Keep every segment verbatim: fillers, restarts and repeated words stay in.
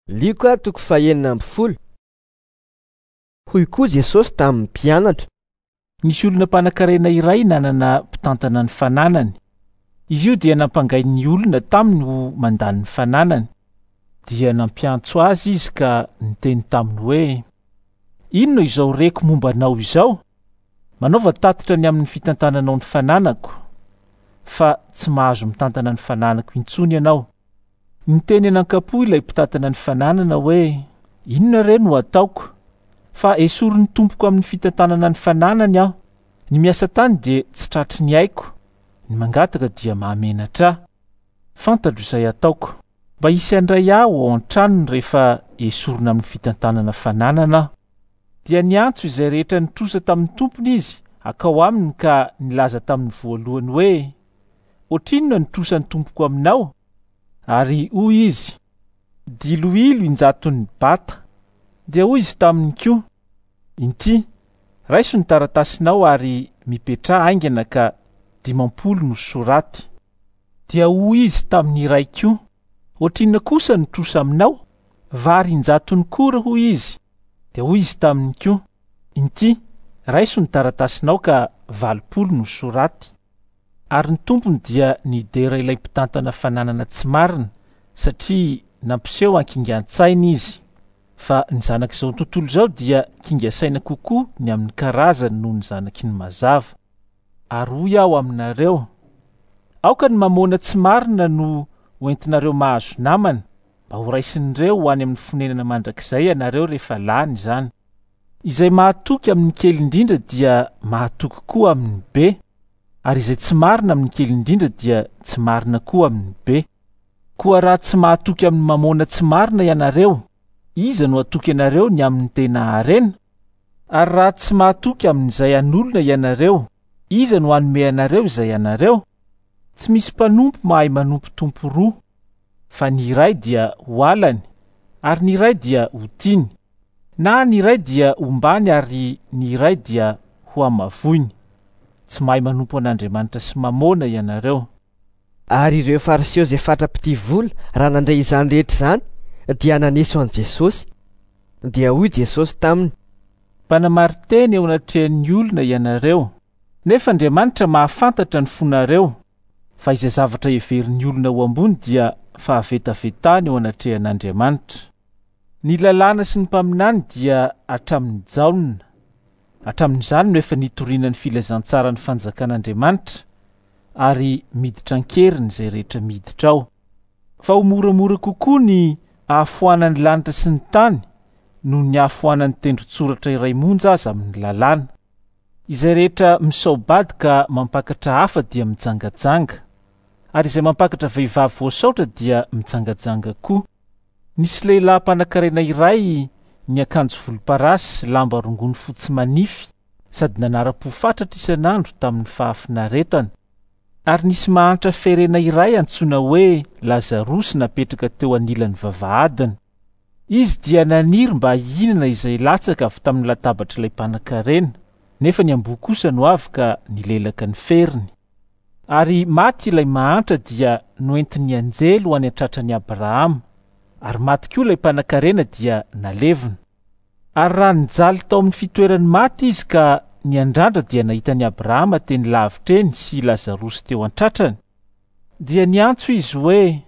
Lioka toko fahenina amby folo. Hoy koa Jesosy tamin'ny mpianatra: Nisy olona mpanankarena iray nanana mpitantana ny fananany. Izy io dia nampangain'ny olona taminy ho mandany ny fananany. Dia nampiantso azy izy ka niteny taminy hoe: "Inona izao reko momba anao izao? Manaova tatitra ny amin'ny fitantananao ny fananako, fa tsy mahazo mitantana ny fananako intsony ianao." Niteny anankapo ilay mpitantana ny fananana hoe: "Inona re no ataoko? Fa esorin'ny tompoko amin'ny fitantanana ny fananany aho. Ny miasa tany dia tsy tratry ny aiko, ny mangataka dia mahamenatra ahy. Fantatro izay ataoko, mba hisy handray ahy ao an-tranony rehefa esorina amin'ny fitantanana fananana aho." Dia niantso izay rehetra nitrosa tamin'ny tompony izy akao aminy ka nilaza tamin'ny voalohany hoe: "Ohatrinona ny trosan'ny tompoko aminao?" Ary hoy izy: "Diloilo injaton'ny bata." Dia hoy izy taminy koa: "Inty, raiso ny taratasinao ary mipetraha haingana ka dimampolo no soraty." Dia hoy izy tamin'ny iray koa: "Ohatrinona kosa ny trosa aminao?" "Vary injatony kora," hoy izy. Dia hoy izy taminy koa: "Inty, raiso ny taratasinao ka valopolo no soraty." Ary ny tompony dia nidera ilay mpitantana fananana tsy marina, satria nampiseho ankingan-tsaina izy. Fa ny zanak'izao tontolo izao dia kinga saina kokoa ny amin'ny karazany noho ny zanaky ny mazava. Ary hoy aho aminareo: aoka ny mamôna tsy marina no hoentinareo mahazo namana, mba ho raisin'ireo ho any amin'ny fonenana mandrakizay ianareo rehefa lany izany. Izay mahatoky amin'ny kely indrindra dia mahatoky koa amin'ny be, ary izay tsy marina amin'ny kely indrindra dia tsy marina koa amin'ny be. Koa raha tsy mahatoky amin'ny mamôna tsy marina ianareo, iza no hatoky anareo ny amin'ny tena harena? Ary raha tsy mahatoky amin'izay an'olona ianareo, iza no hanome anareo izay anareo? Tsy misy mpanompo mahay manompo tompo roa, fa ny iray dia ho halany, ary ny iray dia ho tiany, na ny iray dia hombany ary ny iray dia ho hamavoiny. Tsy mahay manompo an'Andriamanitra sy mamôna ianareo. Ary ireo Fariseo izay fatra-pitia vola, raha nandre izany rehetra izany, dia naneso an'i Jesosy. Dia hoy Jesosy taminy: "Mpanamarin-teny eo anatrehan'ny olona ianareo, nefa Andriamanitra mahafantatra ny fonareo, fa izay zavatra heverin'ny olona ho ambony dia fahavetavetana eo anatrehan'Andriamanitra. Ny lalàna sy ny mpaminany dia hatramin'ny Jaona. Hatramin'izany no efa nitoriana ny filazantsaran'ny fanjakan'Andriamanitra, ary miditra an-keriny izay rehetra miditra ao. Fa ho moramora kokoa ny hahafoanan'ny lanitra sy ny tany noho ny hahafoanan'ny tendron-tsoratra iray monja aza amin'ny lalàna. Izay rehetra misao-bady ka mampakatra hafa dia mijangajanga, ary izay mampakatra vehivavy voasaotra dia mijangajanga koa. Nisy lehilahy mpanankarena iray niakanjo volomparasy sy lamba rongony fotsy manify, sady nanara-po fatratra isan'andro tamin'ny fahafinaretana. Ary nisy mahantra ferena iray antsoina hoe Lazarosy napetraka teo anilan'ny vavahadiny. Izy dia naniry mba hihinana izay latsaka avy tamin'ny latabatr'ilay mpanankarena, nefa ny amboa kosa no avy ka nilelaka ny feriny. Ary maty ilay mahantra dia noentin'ny anjely ho any an-tratran'i Abrahama, ary maty koa ilay mpanankarena dia nalevina. Ary raha nijaly tao amin'ny fitoeran'ny maty izy ka niandrandra dia nahita an'i Abrahama teny lavitra eny sy Lazarosy teo an-tratrany, dia niantso izy hoe: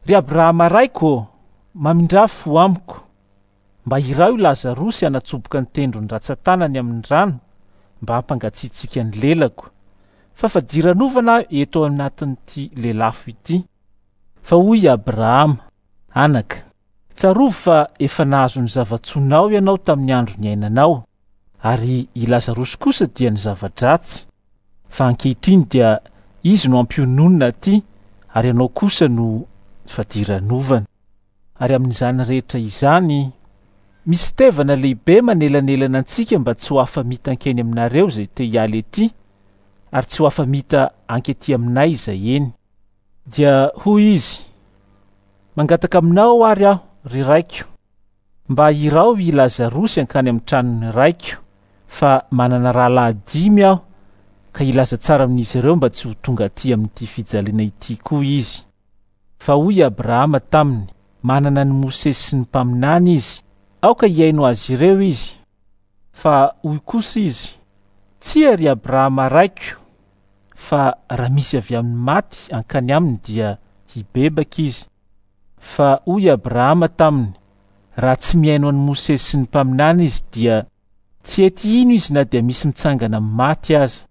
"Ry Abrahama raiko, mamindrà fo amiko, mba iraho i Lazarosy hanatsoboka ny tendrony ratsan-tanany amin'ny rano mba hampangatsiatsiaka ny lelako, fa fadiranovana aho eto anatin'ity lelafo ity." Fa hoy i Abrahama: "Anaka, tsarovy fa efa nahazo ny zava-tsoanao ianao tamin'ny andro niainanao, ary i Lazarosy kosa dia ny zava-dratsy. Fa ankehitriny dia izy no ampiononina aty, ary ianao kosa no fadiranovana. Ary amin'izany rehetra izany, misy tevana lehibe manelanelana antsika mba tsy ho afa-mita hankeny aminareo izay te hiala ety, ary tsy ho afa-mita hankety aminay izay eny." Dia hoy izy: "Mangataka aminao ary aho, ry raiko, mba iraho i Lazarosy hankany amin'ny tranon'ny raiko, fa manana rahalahy dimy aho, ka hilaza tsara amin'izy ireo mba tsy ho tonga aty amin'ity fijaliana ity koa izy." Fa hoy Abrahama taminy: Manana an'i Mosesy sy ny mpaminany izy, aoka hihaino azy ireo izy. Fa hoy kosa izy: Tsia, ry Abrahama raiko, fa raha misy avy amin'ny maty hankany aminy dia hibebaka izy. Fa hoy Abrahama taminy: Raha tsy mihaino an'i Mosesy sy ny mpaminany izy dia tsy hety hino izy na dia misy mitsangana amin'ny maty aza.